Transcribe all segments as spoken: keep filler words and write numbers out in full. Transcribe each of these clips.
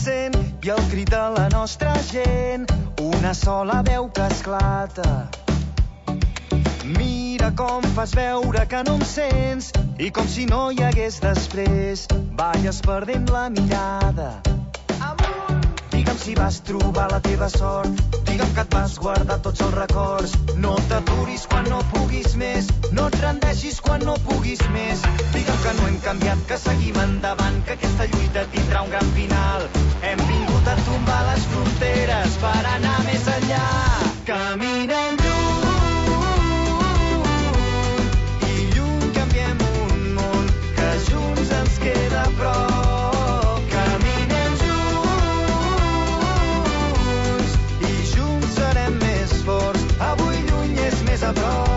sent i el crit de la nostra gent, una sola veu que esclata. Mira com fas veure que no em sents i com si no hi hagués després, balles perdent la mirada. Digue'm si vas trobar la teva sort, digue'm que et vas guardar tots els records. No t'aturis quan no puguis més, no et rendeixis quan no puguis més. Digue'm que no hem canviat, que seguim endavant, que aquesta lluita tindrà un gran final. Hem vingut a tombar les fronteres per anar més enllà. Caminem lluny i lluny canviem un món que junts ens queda a prop. A prop.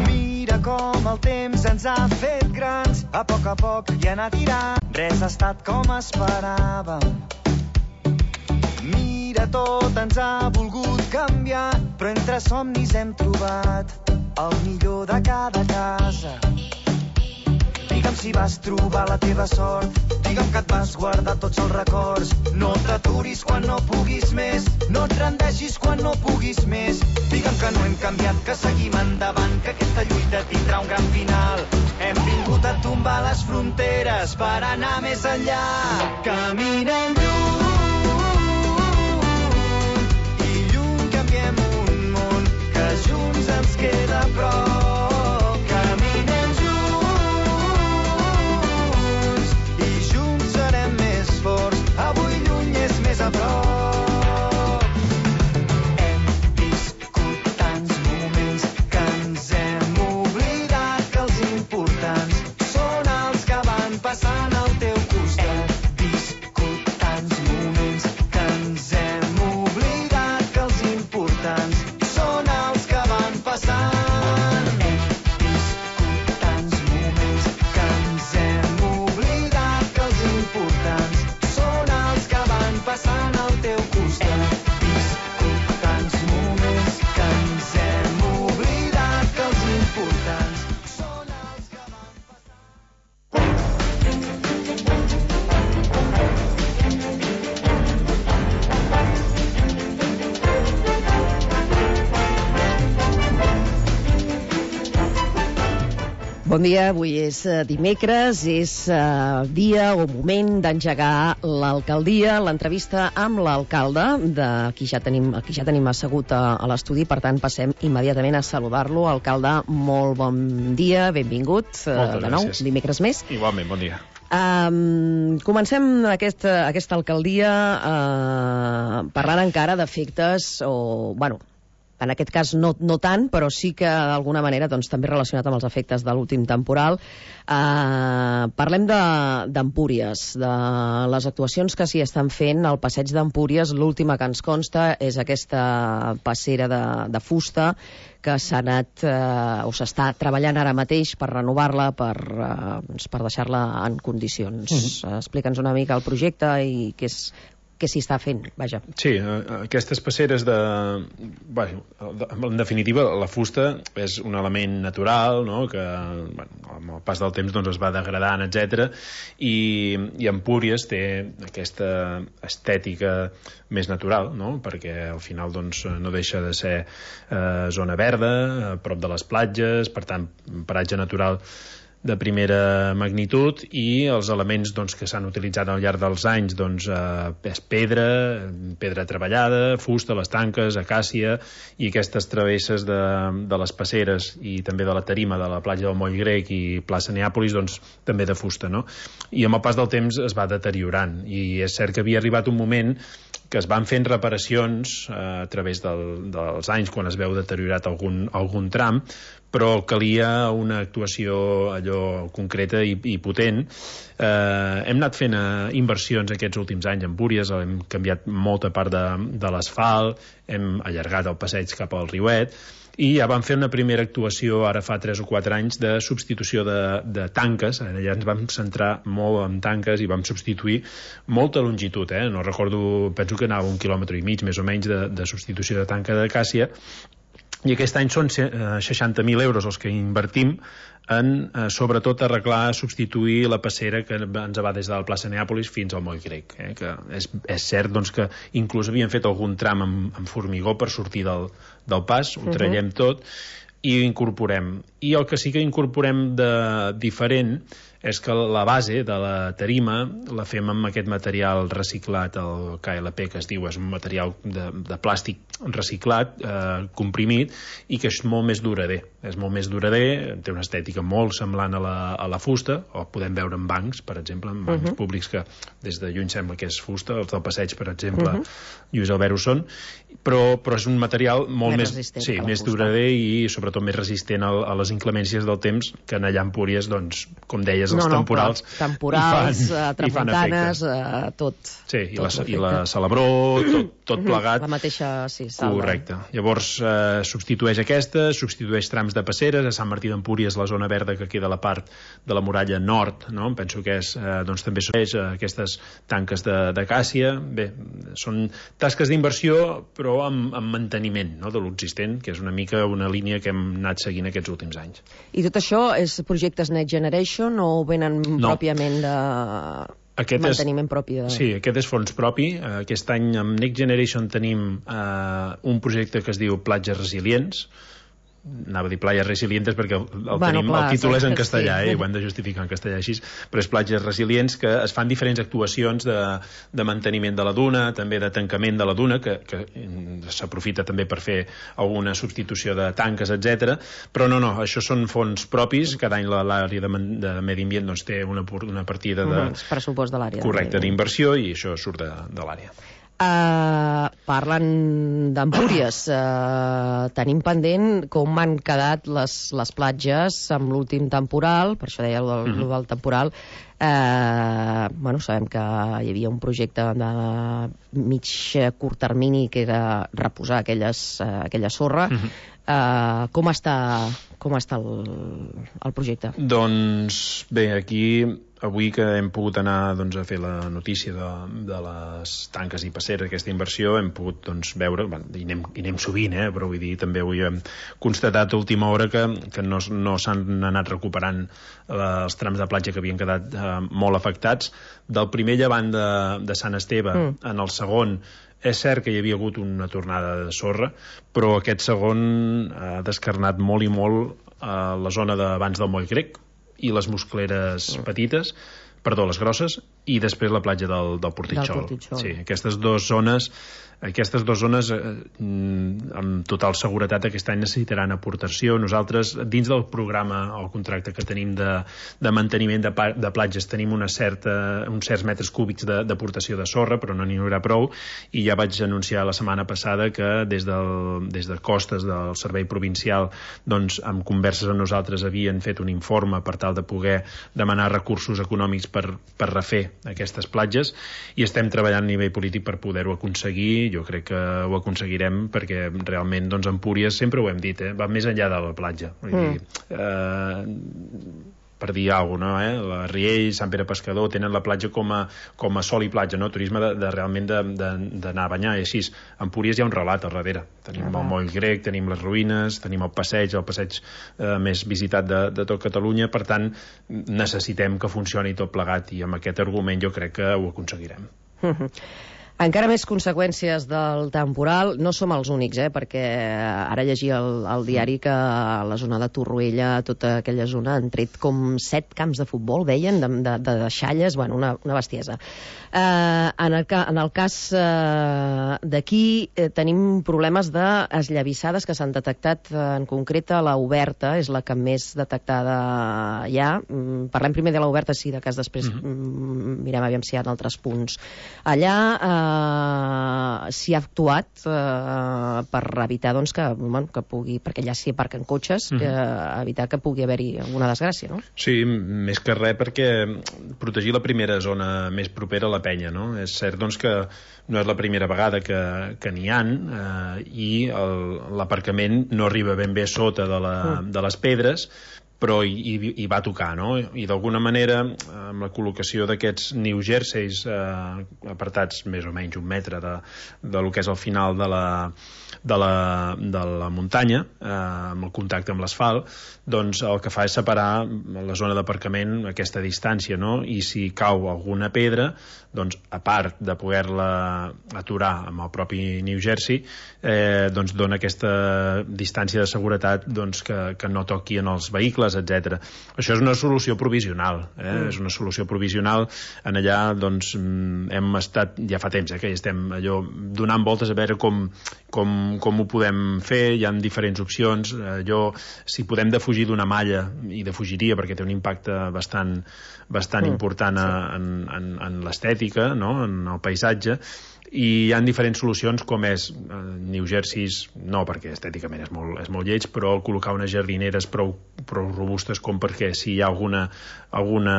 Mira com el temps ens ha fet grans, a poc a poc i anar tirant, res ha estat com esperàvem. Mira, tot ens ha volgut canviar, però entre somnis hem trobat el millor de cada casa. Digue'm si vas trobar la teva sort, digue'm que et vas guardar tots els records. No t'aturis quan no puguis més, no et rendeixis quan no puguis més. Digue'm que no hem canviat, que seguim endavant, que aquesta lluita tindrà un gran final. Hem vingut a tombar les fronteres per anar més enllà. Caminem lluny junts ens queda a prop. Caminem junts i junts serem més forts. Avui lluny és més a prop. Hem viscut tants moments que ens hem oblidat que els importants són els que van passant al teu costat. Hem viscut tants moments que ens hem oblidat que els importants passant. Hem viscut tants moments que ens hem oblidat que els importants són els que van passant al teu costat. Hem viscut tants moments que ens hem oblidat que els importants són els que van Bon dia, avui és dimecres, és uh, dia o moment d'engegar l'alcaldia, l'entrevista amb l'alcalde, de qui ja tenim, qui ja tenim assegut a, a l'estudi, per tant passem immediatament a saludar-lo. Alcalde, molt bon dia, benvingut, uh, de nou, gràcies. Dimecres més. Igualment, bon dia. Um, comencem aquesta, aquesta alcaldia uh, parlant encara d'efectes, o, bueno, en aquest cas no, no tant, però sí que d'alguna manera doncs, també relacionat amb els efectes de l'últim temporal. Eh, parlem d'Empúries, de, de les actuacions que s'hi estan fent al passeig d'Empúries. L'última que ens consta és aquesta passera de, de fusta que s'ha anat eh, o s'està treballant ara mateix per renovar-la, per, eh, per deixar-la en condicions. Mm-hmm. Explica'ns una mica el projecte i què és què s'hi està fent, vaja. Sí, aquestes passeres de... Bueno, en definitiva, la fusta és un element natural, no?, que bueno, amb el pas del temps doncs, es va degradant, etcètera, i, i Empúries té aquesta estètica més natural, no?, perquè al final doncs, no deixa de ser eh, zona verda, a prop de les platges, per tant, paratge natural de primera magnitud, i els elements doncs, que s'han utilitzat al llarg dels anys doncs, eh, és pedra, pedra treballada, fusta, les tanques, acàcia, i aquestes travesses de, de les passeres i també de la tarima de la platja del Moll Grec i plaça Neàpolis, doncs també de fusta, no? I amb el pas del temps es va deteriorant, i és cert que havia arribat un moment que es van fent reparacions eh, a través del, dels anys quan es veu deteriorat algun, algun tram, però calia una actuació allò concreta i, i potent. Eh, hem anat fent eh, inversions aquests últims anys en Empúries, hem canviat molta part de, de l'asfalt, hem allargat el passeig cap al Riuet, i ja vam fer una primera actuació ara fa tres o quatre anys de substitució de, de tanques. Allà ens vam centrar molt en tanques i vam substituir molta longitud, eh? No recordo, penso que anava un quilòmetre i mig més o menys de, de substitució de tanca d'acàcia, i aquest any són seixanta mil euros els que invertim en, eh, sobretot, arreglar, substituir la passera que ens va des de la plaça Neàpolis fins al Moll Grec, eh? Que és, és cert doncs, que inclús havien fet algun tram amb, amb formigó per sortir del, del pas, ho traiem tot i ho incorporem. I el que sí que incorporem de diferent és que la base de la tarima la fem amb aquest material reciclat, el K L P, que es diu, és un material de, de plàstic reciclat, eh, comprimit, i que és molt més durader. És molt més durader, té una estètica molt semblant a la, a la fusta, o podem veure en bancs, per exemple, en bancs uh -huh. públics que des de lluny sembla que és fusta, els del passeig, per exemple, uh -huh. Lluís Albert ho són, però, però és un material molt més, més, sí, més durader i sobretot més resistent a, a les inclemències del temps, que en allà a Empúries, doncs, com deies, els no, no, temporals, temporals, fan, tramuntanes, uh, tot. Sí, i, tot la, i la Salabró, tot, tot plegat. La mateixa, sí, salva. Correcte. Llavors, eh, substitueix aquesta, substitueix trams de passeres, a Sant Martí d'Empúries, la zona verda que queda a la part de la muralla nord, no? Penso que és, eh, doncs també són eh, aquestes tanques d'acàcia. Bé, són tasques d'inversió, però amb, amb manteniment, no?, de l'existent, que és una mica una línia que hem anat seguint aquests últims anys. I tot això és projectes Next Generation o venen no. pròpiament de... Aquest manteniment és, propi de... Sí, aquest és fons propi. Aquest any amb Next Generation tenim eh, un projecte que es diu Platges Resilients. Anava a dir Playas Resilientes perquè el, el, bueno, tenim, clar, el títol és en castellà, sí. eh, i ho hem de justificar en castellà així, però és Platges Resilients, que es fan diferents actuacions de, de manteniment de la duna, també de tancament de la duna, que, que s'aprofita també per fer alguna substitució de tanques, etcètera. Però no, no, això són fons propis. Cada any l'àrea de, de Medi Ambient doncs, té una, una partida de... Mm, pressupost de l'àrea. Correcte, d'inversió, i això surt de, de l'àrea. Uh, parlant d'Empúries, uh, tenim pendent com han quedat les, les platges amb l'últim temporal, per això deia el del, mm-hmm. del temporal. Uh, bueno, sabem que hi havia un projecte de mig curt termini que era reposar aquelles, uh, aquella sorra. Mm-hmm. uh, com està, com està el, el projecte? Doncs bé, aquí avui que hem pogut anar doncs, a fer la notícia de, de les tanques i passeres, aquesta inversió, hem pogut doncs, veure, bueno, i, anem, i anem sovint, eh, però vull dir, també avui hem constatat a última hora que, que no, no s'han anat recuperant eh, els trams de platja que havien quedat eh, molt afectats. Del primer llevant de, de Sant Esteve, mm. en el segon, és cert que hi havia hagut una tornada de sorra, però aquest segon ha descarnat molt i molt a la zona d'abans del Moll Grec i les muscleres petites, perdó, les grosses, i després la platja del, del Portitxol. Del Portitxol. Sí, aquestes dues zones aquestes dues zones eh, amb total seguretat aquest any necessitaran aportació. Nosaltres, dins del programa o contracte que tenim de, de manteniment de, de platges, tenim una certa, uns certs metres cúbics d'aportació de, de sorra, però no n'hi haurà prou, i ja vaig anunciar la setmana passada que des, del, des de Costes del Servei Provincial, doncs, amb converses amb nosaltres havien fet un informe per tal de poder demanar recursos econòmics per, per refer aquestes platges, i estem treballant a nivell polític per poder-ho aconseguir. Jo crec que ho aconseguirem perquè realment, doncs, Empúries, sempre ho hem dit, eh, va més enllà de la platja. Vull mm. dir, eh, per dir alguna cosa, no? eh? La Riells, Sant Pere Pescador tenen la platja com a, com a sol i platja, no? Turisme de, de realment d'anar a banyar, i així. A Empúries hi ha un relat al darrere. Tenim ah, el Moll Grec, tenim les ruïnes, tenim el passeig, el passeig eh, més visitat de, de tot Catalunya, per tant necessitem que funcioni tot plegat, i amb aquest argument jo crec que ho aconseguirem. Encara més conseqüències del temporal. No som els únics, eh? Perquè ara llegia al, al diari que a la zona de Torroella, tota aquella zona, han tret com set camps de futbol, deien, de, de, de deixalles, bueno, una, una bestiesa. Eh, en, el, en el cas eh, d'aquí eh, tenim problemes d'esllavissades que s'han detectat, eh, en concret a la Oberta, és la que més detectada hi ha. Mm, parlem primer de la Oberta, sí, de cas després mm-hmm. mirem aviam si hi ha altres punts. Allà, eh, uh, s'hi ha actuat uh, per evitar doncs, que, bueno, que pugui, perquè ja s'hi aparquen cotxes, mm-hmm. uh, evitar que pugui haver-hi alguna desgràcia, no? Sí, més que res perquè protegir la primera zona més propera a la penya, no? És cert doncs, que no és la primera vegada que, que n'hi ha eh, i l'aparcament no arriba ben bé sota de, la, mm. de les pedres, però hi, hi, hi va tocar, no? I d'alguna manera, amb la col·locació d'aquests New Jerseys eh, apartats més o menys un metre de, de lo que és el final de la, de la, de la muntanya, eh, amb el contacte amb l'asfalt, doncs el que fa és separar la zona d'aparcament aquesta distància, no? I si cau alguna pedra, doncs a part de poder-la aturar amb el propi New Jersey, eh, doncs dona aquesta distància de seguretat doncs, que, que no toqui en els vehicles, etcètera. Això és una solució provisional, eh? Mm. És una solució provisional. En allà doncs, hem estat, ja fa temps eh, que hi estem allò, donant voltes a veure com, com, com ho podem fer. Hi ha diferents opcions. Allò, si podem defugir d'una malla, i defugiria perquè té un impacte bastant, bastant mm. important a, en, en, en l'estètica, no? En el paisatge, i hi ha diferents solucions com és eh, New Jerseys, no perquè estèticament és molt, és molt lleig, però col·locar unes jardineres prou, prou robustes com perquè si hi ha alguna, alguna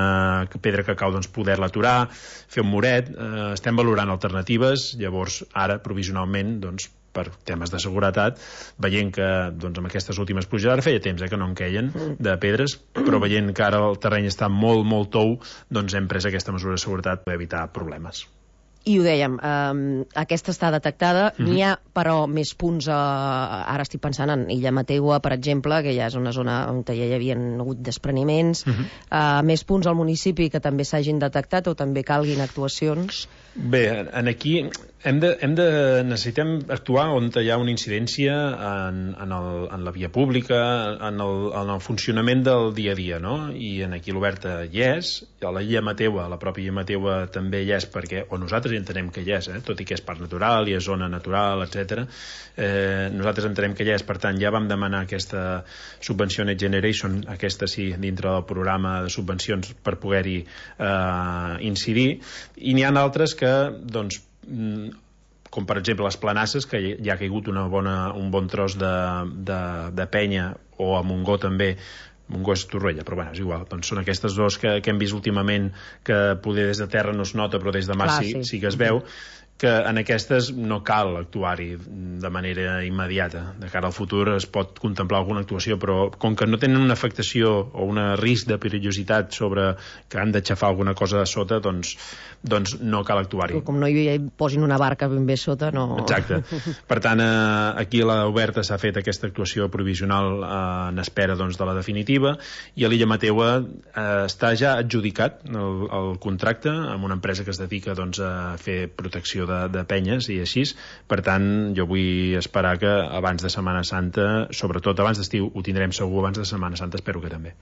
pedra que cau doncs poder-la aturar, fer un muret. Eh, estem valorant alternatives. Llavors ara provisionalment doncs per temes de seguretat, veient que doncs, amb aquestes últimes pluges, ara feia temps eh, que no en queien de pedres, però veient que ara el terreny està molt, molt tou, doncs hem pres aquesta mesura de seguretat per evitar problemes. I ho dèiem, eh, aquesta està detectada, mm-hmm. n'hi ha però més punts, eh, ara estic pensant en Illa Mateua, per exemple, que ja és una zona on ja hi havia hagut despreniments, mm-hmm. eh, més punts al municipi que també s'hagin detectat o també calguin actuacions? Bé, en aquí hem de, hem de, necessitem actuar on hi ha una incidència en, en, el, en la via pública, en el, en el funcionament del dia a dia, no? I en aquí l'Oberta hi és, a la Illa Mateua, la pròpia Illa Mateua també hi és, perquè, o nosaltres entenem que hi és, eh? Tot i que és parc natural i és zona natural, etcètera. Eh, nosaltres entenem que hi és, per tant, ja vam demanar aquesta subvenció Next Generation, aquesta sí, dintre del programa de subvencions per poder-hi eh, incidir, i n'hi ha altres que, doncs, com per exemple les Planasses, que ja ha caigut una bona, un bon tros de, de, de penya, o a Montgó també, Montgó és Torroella, però bueno, és igual. Doncs són aquestes dos que, que hem vist últimament, que poder des de terra no es nota, però des de mar Clar, sí, sí. sí que es veu, que en aquestes no cal actuar-hi de manera immediata. De cara al futur es pot contemplar alguna actuació, però com que no tenen una afectació o un risc de perillositat sobre que han d'aixafar alguna cosa a sota, doncs, doncs no cal actuar-hi. Com no hi posin una barca ben bé sota, no... Exacte. Per tant, eh, aquí a l'Oberta s'ha fet aquesta actuació provisional eh, en espera doncs, de la definitiva, i a l'Illa Mateua eh, està ja adjudicat el, el contracte amb una empresa que es dedica doncs, a fer protecció De, de penyes i així. Per tant, jo vull esperar que abans de Setmana Santa, sobretot abans d'estiu, ho tindrem segur, abans de Setmana Santa espero que també.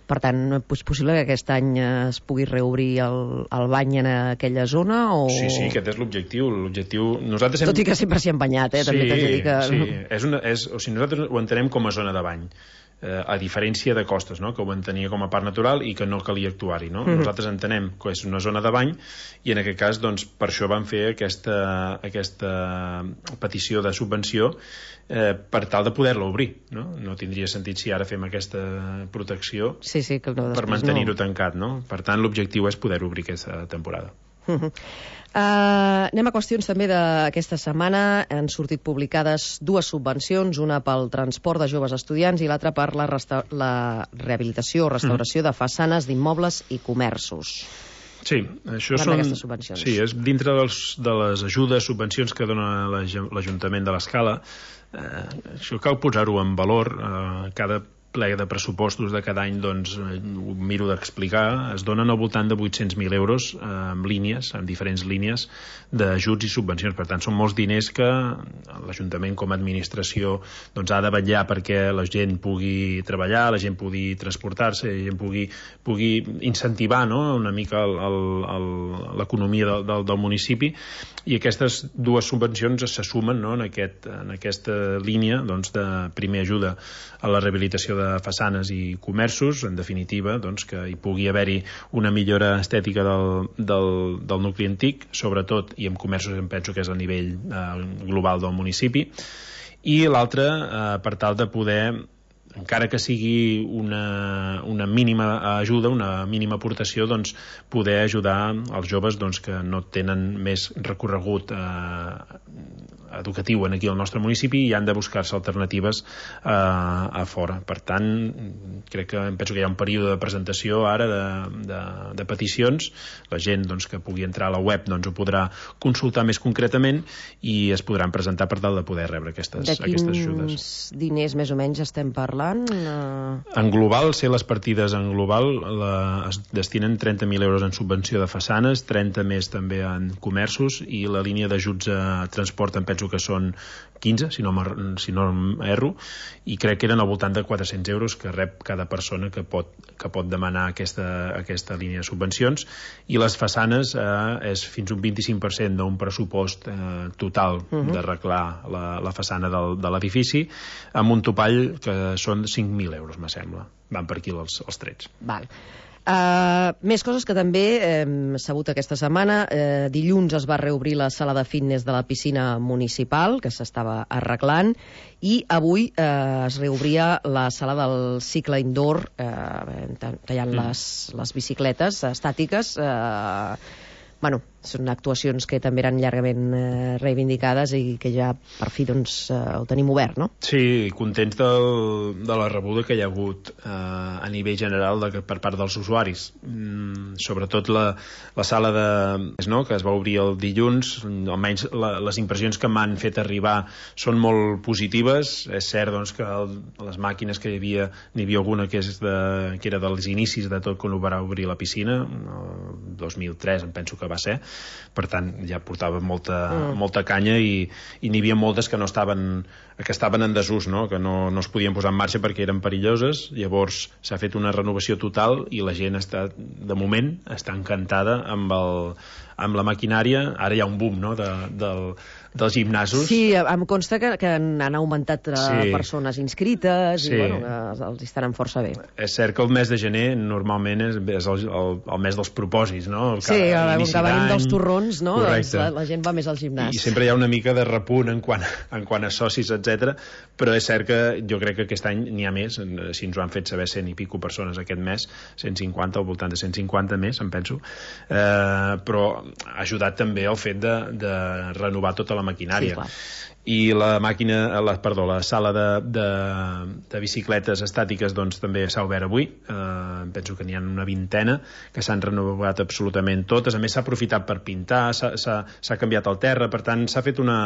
Per tant, és possible que aquest any es pugui reobrir el, el bany en aquella zona? O... Sí, sí, aquest és l'objectiu. L'objectiu... Nosaltres hem... Tot i que sempre s'hi ha banyat, eh? Sí, també t'haig de dir que... sí. És una, és, o sigui, nosaltres ho entenem com a zona de bany. Eh, a diferència de Costes, no? Que ho entenia com a parc natural i que no calia actuar-hi, no? Mm-hmm. Nosaltres entenem que és una zona de bany i en aquest cas, doncs, per això vam fer aquesta, aquesta petició de subvenció eh, per tal de poder-la obrir, no? No tindria sentit si ara fem aquesta protecció sí, sí, que no, per mantenir-ho no. tancat, no? Per tant, l'objectiu és poder obrir aquesta temporada. Uh-huh. Uh, anem a qüestions també d'aquesta setmana. Han sortit publicades dues subvencions, una pel transport de joves estudiants i l'altra per la, resta- la rehabilitació o restauració de façanes d'immobles i comerços. Sí, això són... Sí, és dintre dels, de les ajudes, subvencions que dona l'Ajuntament de l'Escala. Eh, això cal posar-ho en valor. Eh, cada ple de pressupostos de cada any, doncs, ho miro d'explicar, es donen al voltant de vuit-cents mil euros eh, amb línies, amb diferents línies d'ajuts i subvencions. Per tant, són molts diners que l'Ajuntament com a administració doncs, ha de vetllar perquè la gent pugui treballar, la gent pugui transportar-se, la gent pugui, pugui incentivar, no?, una mica el, el, el, l'economia del, del, del municipi, i aquestes dues subvencions se sumen, no?, en, aquest, en aquesta línia doncs, de primer ajuda a la rehabilitació de façanes i comerços, en definitiva, doncs, que hi pugui haver-hi una millora estètica del, del, del nucli antic, sobretot, i en comerços em penso que és a nivell eh, global del municipi, i l'altre, eh, per tal de poder, encara que sigui una, una mínima ajuda, una mínima aportació, doncs, poder ajudar els joves doncs, que no tenen més recorregut eh, educatiu en aquí al nostre municipi i han de buscar-se alternatives eh, a fora. Per tant, crec que penso que hi ha un període de presentació ara de, de, de peticions. La gent doncs, que pugui entrar a la web doncs, ho podrà consultar més concretament i es podran presentar per tal de poder rebre aquestes, aquestes ajudes. De quins diners més o menys estem parlant? Uh... En global, sé les partides en global la, es destinen trenta mil euros en subvenció de façanes, trenta més també en comerços i la línia d'ajuts a transport en penso que són quinze, si no, si no erro, i crec que eren al voltant de quatre-cents euros que rep cada persona que pot, que pot demanar aquesta, aquesta línia de subvencions, i les façanes eh, és fins un vint-i-cinc per cent d'un pressupost eh, total uh-huh. d'arreglar la, la façana del, de l'edifici, amb un topall que són cinc mil euros, me sembla. Van per aquí els, els trets. Val. Uh, més coses que també hem sabut aquesta setmana. Uh, dilluns es va reobrir la sala de fitness de la piscina municipal, que s'estava arreglant, i avui uh, es reobria la sala del cicle indoor, uh, tallant mm. les, les bicicletes estàtiques. Uh, bueno, són actuacions que també eren llargament eh, reivindicades i que ja per fi doncs, eh, ho tenim obert, no? Sí, contents del, de la rebuda que hi ha hagut eh, a nivell general de, per part dels usuaris. Mm, sobretot la, la sala de, no, que es va obrir el dilluns, almenys la, les impressions que m'han fet arribar són molt positives. És cert doncs, que el, les màquines que hi havia, n'hi havia alguna que, és de, que era dels inicis de tot quan ho va obrir la piscina, el dos mil tres em penso que va ser. Per tant, ja portava molta, mm. molta canya i, i n'hi havia moltes que no estaven, que estaven en desús, no? Que no, no es podien posar en marxa perquè eren perilloses. Llavors s'ha fet una renovació total i la gent està, de moment, està encantada amb, el, amb la maquinària. Ara hi ha un boom, no?, de, del, dels gimnasos. Sí, em consta que, que han augmentat sí. persones inscrites sí. i bueno, que els estaran força bé. És cert que el mes de gener normalment és, és el, el, el mes dels propòsits, no? El sí, el, que venim dels torrons, no? Doncs la, la gent va més al gimnàs. I sempre hi ha una mica de repunt en quant, en quant a socis, etcètera. Però és cert que jo crec que aquest any n'hi ha més, si ens ho han fet saber cent i pico persones aquest mes, cent cinquanta, al voltant de cent cinquanta més, em penso, eh, però ha ajudat també el fet de, de renovar tota la maquinària. Sí, i la màquina, la, perdó, la sala de, de, de bicicletes estàtiques doncs també s'ha obert avui. Eh, penso que n'hi ha una vintena que s'han renovat absolutament totes. A més s'ha aprofitat per pintar, s'ha canviat el terra, per tant s'ha fet una,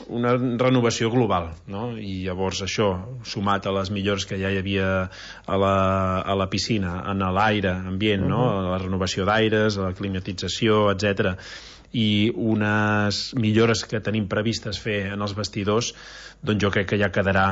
una renovació global, no? I llavors això, sumat a les millores que ja hi havia a la, a la piscina, en l'aire ambient, uh-huh. no? La renovació d'aires, la climatització, etcètera, i unes millores que tenim previstes fer en els vestidors, doncs jo crec que ja quedarà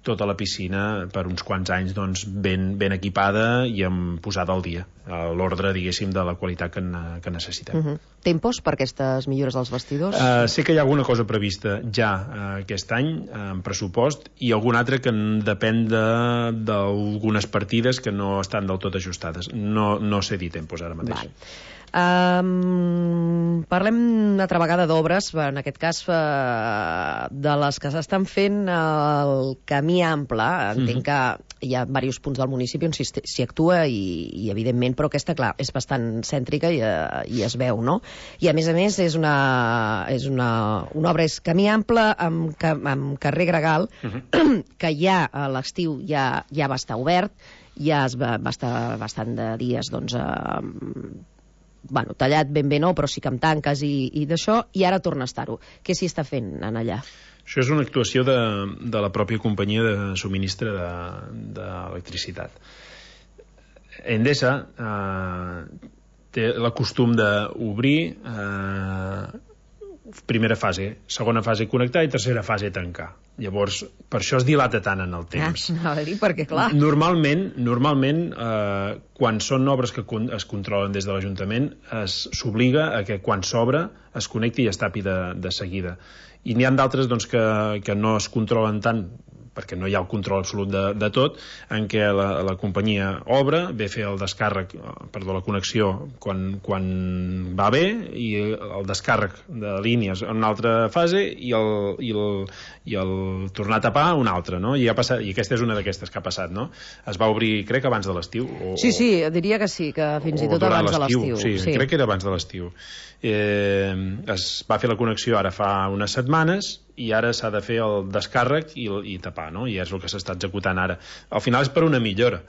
tota la piscina per uns quants anys doncs, ben, ben equipada i amb posada al dia, a l'ordre, diguéssim, de la qualitat que, que necessitem. Uh-huh. Tempos per aquestes millores als vestidors? Uh, sé que hi ha alguna cosa prevista ja uh, aquest any, uh, en pressupost, i algun altre que depèn d'algunes partides que no estan del tot ajustades. No, no sé dir tempos ara mateix. Val. Um, parlem una altra vegada d'obres, en aquest cas uh, de les que s'estan fent al camí ample. Entenc mm-hmm. que hi ha diversos punts del municipi on s'hi actua i, i evidentment, però aquesta, clar, és bastant cèntrica i, uh, i es veu, no? I a més a més és una, és una, una obra, és camí ample amb, amb carrer Gregal, mm-hmm. que ja a l'estiu ja, ja va estar obert, ja es va, va estar bastant de dies doncs uh, bueno, tallat ben bé no, però sí que amb tanques i, i d'això, i ara torna a estar-ho. Què s'hi està fent en allà? Això és una actuació de, de la pròpia companyia de subministre d'electricitat. De, Endesa eh, té el costum d'obrir eh, primera fase, segona fase connectar i tercera fase tancar. Llavors, per això es dilata tant en el temps. Ah, a dir, perquè clar... Normalment, normalment eh, quan són obres que con es controlen des de l'Ajuntament, s'obliga a que quan s'obre es connecti i es tapi de, de seguida. I n'hi ha d'altres doncs, que, que no es controlen tant perquè no hi ha el control absolut de, de tot, en què la, la companyia obre, ve a fer el descàrrec, perdó, la connexió quan, quan va bé, i el descàrrec de línies en una altra fase, i el, i el, i el tornar a tapar una altra, no? I, ha passat, i aquesta és una d'aquestes que ha passat, no? Es va obrir, crec, abans de l'estiu. O, sí, sí, diria que sí, que fins i tot abans de l'estiu. Sí, sí, crec que era abans de l'estiu. Eh, es va fer la connexió ara fa unes setmanes, i ara s'ha de fer el descàrrec i, i tapar, no? I és el que s'està executant ara. Al final és per una millora,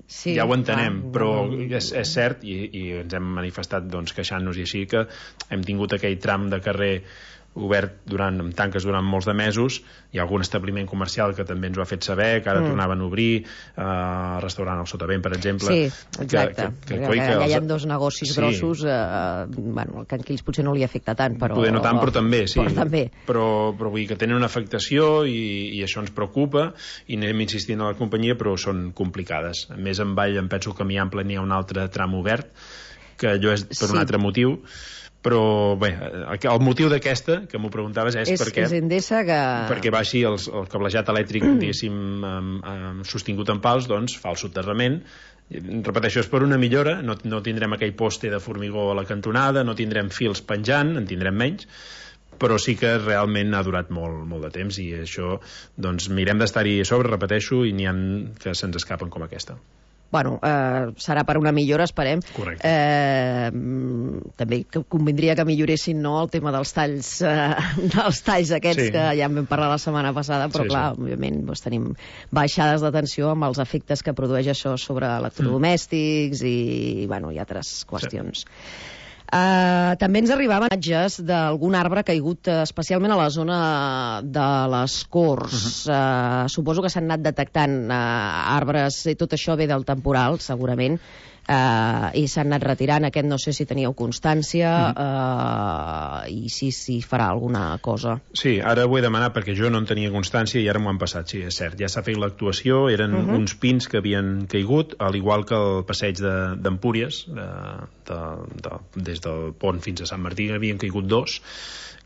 sí, ja ho entenem, ah, però no. és, és cert, i, i ens hem manifestat doncs, queixant-nos, i així que hem tingut aquell tram de carrer obert durant, amb tanques durant molts de mesos. Hi ha algun establiment comercial que també ens ho ha fet saber, que ara mm. tornaven a obrir, eh, restaurant al Sotavent, per exemple. Sí, exacte. Que, que, que, que, que hi ha dos negocis sí. grossos, eh, bueno, que aquí ells potser no li afecta tant, però... Poder no tant, però també, sí. Però, també. però, però vull dir que tenen una afectació i, i això ens preocupa, i anem insistint a la companyia, però són complicades. A més, en Vall, em penso que a Miample n'hi ha un altre tram obert, que allò és per sí. un altre motiu, però bé, el motiu d'aquesta que m'ho preguntaves és, és perquè és Endesa que... perquè baixi el, el cablejat elèctric diguéssim um, um, sostingut en pals, doncs fa el soterrament. Repeteixo, és per una millora, no, no tindrem aquell poste de formigó a la cantonada, no tindrem fils penjant, en tindrem menys, però sí que realment ha durat molt, molt de temps, i això doncs mirem d'estar-hi a sobre, repeteixo, i n'hi ha que se'ns escapen com aquesta. Bueno, eh, serà per una millora, esperem. Correcte. Eh, també que convindria que milloressin, no, el tema dels talls, eh, dels talls aquests sí. que ja en vam parlar la setmana passada, però sí, clar, sí. òbviament doncs, tenim baixades de tensió amb els efectes que produeix això sobre electrodomèstics mm. i, bueno, i altres qüestions. Sí. Uh, també ens arribaven imatges d'algun arbre caigut uh, especialment a la zona de les Corts. Uh-huh. uh, suposo que s'han anat detectant uh, arbres, i tot això ve del temporal, segurament, uh, i s'han anat retirant. Aquest no sé si teníeu constància uh-huh. uh, i si, si farà alguna cosa. Sí, ara ho he demanat perquè jo no en tenia constància i ara m'ho han passat, sí, és cert. Ja s'ha fet l'actuació, eren uh-huh. uns pins que havien caigut, al igual que el passeig d'Empúries, de, de, de, des del pont fins a Sant Martí havien caigut dos,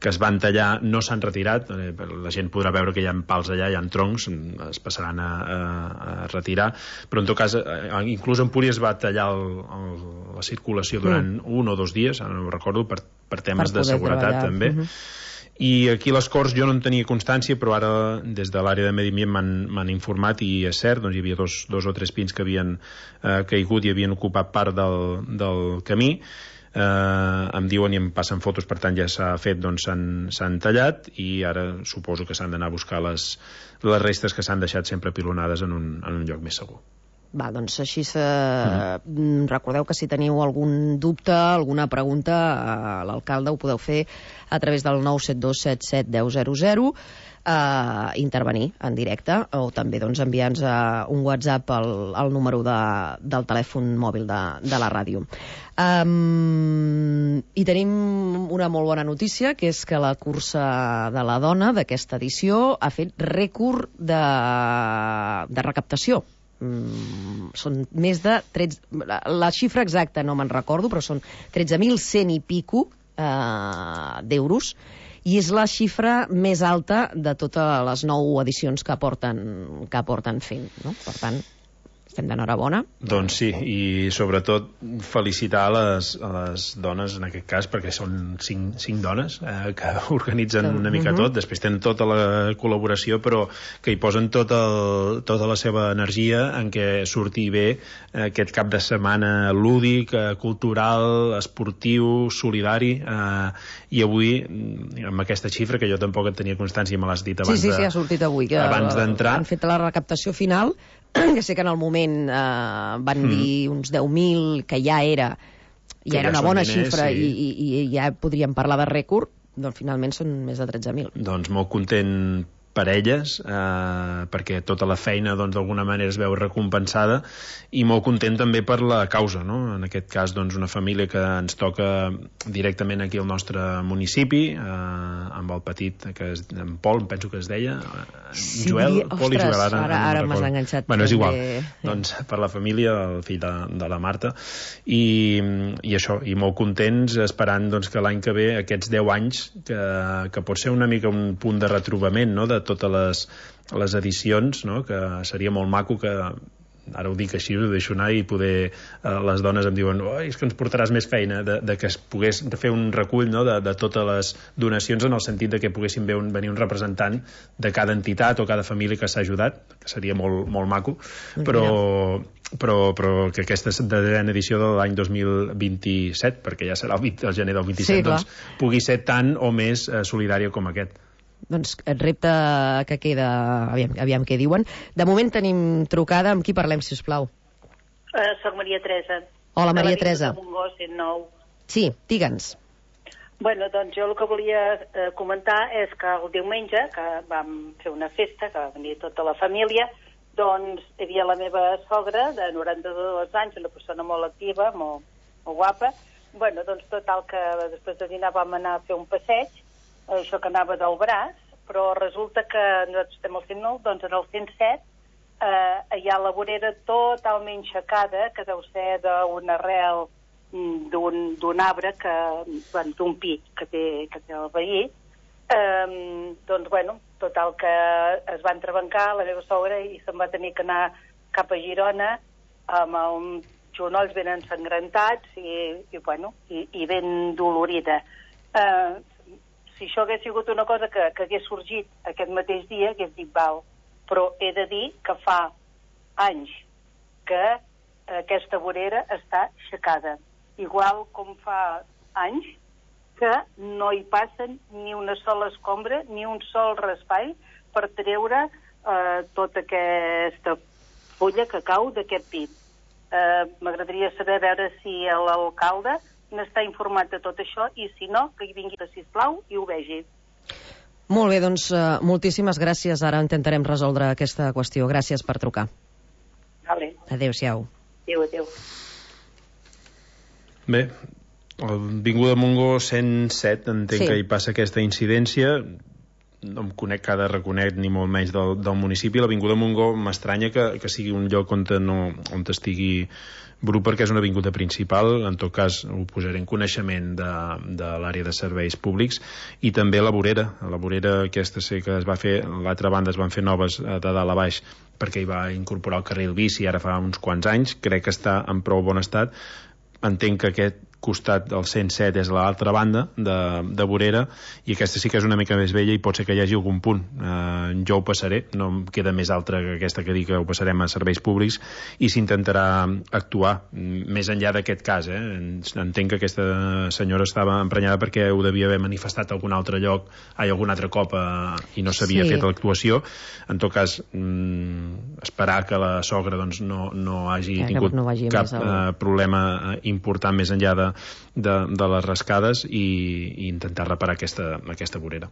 que es van tallar, no s'han retirat, eh, la gent podrà veure que hi ha pals allà, hi ha troncs, es passaran a, a, a retirar, però en tot cas, eh, inclús Empúries va tallar el, el, la circulació durant mm. un o dos dies, ara no ho recordo, per, per temes per de seguretat treballar. També. Mm-hmm. I aquí a les Corts jo no en tenia constància, però ara des de l'àrea de Medi Ambient m'han informat, i és cert, doncs hi havia dos, dos o tres pins que havien eh, caigut i havien ocupat part del, del camí. Uh, em diuen i em passen fotos, per tant ja s'ha fet, doncs s'han tallat, i ara suposo que s'han d'anar a buscar les, les restes que s'han deixat sempre pilonades en un, en un lloc més segur. Va, doncs així se... mm. recordeu que si teniu algun dubte, alguna pregunta, a l'alcalde ho podeu fer a través del nou set dos set set un zero zero zero, Uh, intervenir en directe, o també doncs, enviar-nos uh, un WhatsApp al, al número de, del telèfon mòbil de, de la ràdio. Um, I tenim una molt bona notícia, que és que la cursa de la dona d'aquesta edició ha fet rècord de, de recaptació. Mm, són més de tretze... La, la xifra exacta no me'n recordo, però són tretze mil cent i pico uh, d'euros, i és la xifra més alta de totes les nou edicions que porten, que porten fent, no? Per tant, estem d'enhorabona. Doncs sí, i sobretot felicitar a les, a les dones en aquest cas, perquè són cinc, cinc dones eh, que organitzen una mica uh-huh. tot, després tenen tota la col·laboració, però que hi posen tot el, tota la seva energia en què surti bé eh, aquest cap de setmana lúdic, eh, cultural, esportiu, solidari, eh, i avui, amb aquesta xifra, que jo tampoc en tenia constància i me l'has dit abans sí, sí, sí, ha sortit avui, que abans d'entrar. Han fet la recaptació final, que sé que en el moment eh, van mm. dir uns deu mil, que ja era ja que era ja una bona diners, xifra sí. i, i, i ja podríem parlar de rècord, doncs finalment són més de tretze mil. Doncs molt content per elles, eh, perquè tota la feina doncs d'alguna manera es veu recompensada, i molt content també per la causa, no? En aquest cas doncs una família que ens toca directament aquí al nostre municipi, eh, amb el petit, que és, en Pol, penso que es deia, sí, Joel, ostres, Pol i Joel, ara, ara, no ara m'has enganxat. Bueno, és igual, també. Doncs per la família, el fill de, de la Marta, i, i això, i molt contents, esperant doncs, que l'any que ve, aquests deu anys, que, que pot ser una mica un punt de retrobament, no?, de totes les, les edicions, no?, que seria molt maco que, ara ho dic així, ho deixo anar, i poder, eh, les dones em diuen, oh, és que ens portaràs més feina, de, de que es pogués fer un recull, no?, de, de totes les donacions, en el sentit de que poguessin ve un, venir un representant de cada entitat o cada família que s'ha ajudat, que seria molt, molt maco, però, però, però que aquesta desena edició de l'any dos mil vint-i-set, perquè ja serà el, vint, el gener del vint-i-set, sí, doncs pugui ser tant o més eh, solidària com aquest. Doncs et repte que queda, aviam, aviam què diuen. De moment tenim trucada, amb qui parlem, si us plau? Uh, soc Maria Teresa. Hola, Maria Teresa. De Montgó, cent nou. Sí, digue'ns. Bueno, doncs jo el que volia eh, comentar és que el diumenge, que vam fer una festa, que va venir tota la família, doncs hi havia la meva sogra, de noranta-dos anys, una persona molt activa, molt, molt guapa. Bueno, doncs total que després de dinar vam anar a fer un passeig, això que anava del braç, però resulta que nosaltres estem al cent nou, doncs en el cent set eh, hi ha la vorera totalment aixecada, que deu ser d'una arrel d'un arbre, que, bueno, d'un pi que té, que té el veí. Eh, doncs, bueno, total que es va entrebancar la meva sogra i se'n va tenir que anar cap a Girona amb els genolls ben ensangrentats i, i, bueno, i, i ben dolorida. Eh, Si això hagués sigut una cosa que, que hagués sorgit aquest mateix dia, hagués dit val. Però he de dir que fa anys que aquesta vorera està aixecada. Igual com fa anys que no hi passen ni una sola escombra, ni un sol raspall per treure eh, tota aquesta fulla que cau d'aquest pi. Eh, M'agradaria saber veure si l'alcalde n'està informat de tot això, i si no, que hi vingui, sisplau, i ho vegi. Molt bé, doncs uh, moltíssimes gràcies. Ara intentarem resoldre aquesta qüestió. Gràcies per trucar. Vale. Adéu-siau. Adéu, adéu. Bé, Avinguda Montgó cent set, entenc sí. que hi passa aquesta incidència. No em conec cada reconec ni molt menys del, del municipi. L'Avinguda Montgó m'estranya que, que sigui un lloc on, no, on estigui bru, perquè és una avinguda principal. En tot cas ho posaré en coneixement de, de l'àrea de serveis públics. I també la vorera, la vorera aquesta sé que es va fer, l'altra banda es van fer noves de dalt a baix perquè hi va incorporar el carril bici ara fa uns quants anys, crec que està en prou bon estat. Entenc que aquest costat del cent set és l'altra banda de, de vorera, i aquesta sí que és una mica més vella i pot ser que hi hagi algun punt. Eh, jo ho passaré, no em queda més altra que aquesta que dic, que ho passarem a serveis públics i s'intentarà actuar més enllà d'aquest cas. Eh? Entenc que aquesta senyora estava emprenyada perquè ho devia haver manifestat a algun altre lloc, ai, algun altre cop eh, i no s'havia sí. fet l'actuació. En tot cas, mm, esperar que la sogra doncs, no, no hagi ja, tingut no cap eh, problema important més enllà de De, de les rascades i, i intentar reparar aquesta, aquesta vorera.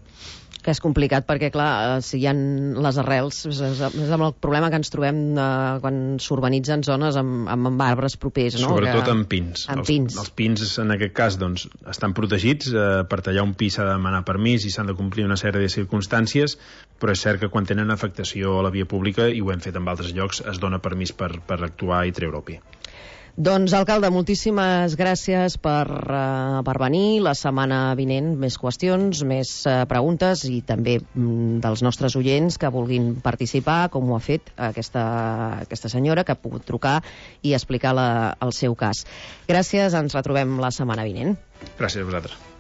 Que és complicat perquè, clar, si hi ha les arrels, és, és amb el problema que ens trobem eh, quan s'urbanitzen zones amb, amb arbres propers, no? Sobretot que... amb pins. Amb els, pins. Els pins, en aquest cas, doncs, estan protegits. Eh, per tallar un pi s'ha de demanar permís i s'han de complir una sèrie de circumstàncies, però és cert que quan tenen afectació a la via pública, i ho hem fet en altres llocs, es dona permís per, per actuar i treure el pi. Doncs, alcalde, moltíssimes gràcies per, uh, per venir. La setmana vinent més qüestions, més uh, preguntes i també mm, dels nostres oients que vulguin participar, com ho ha fet aquesta, aquesta senyora, que ha pogut trucar i explicar la, el seu cas. Gràcies, ens retrobem la setmana vinent. Gràcies a vosaltres.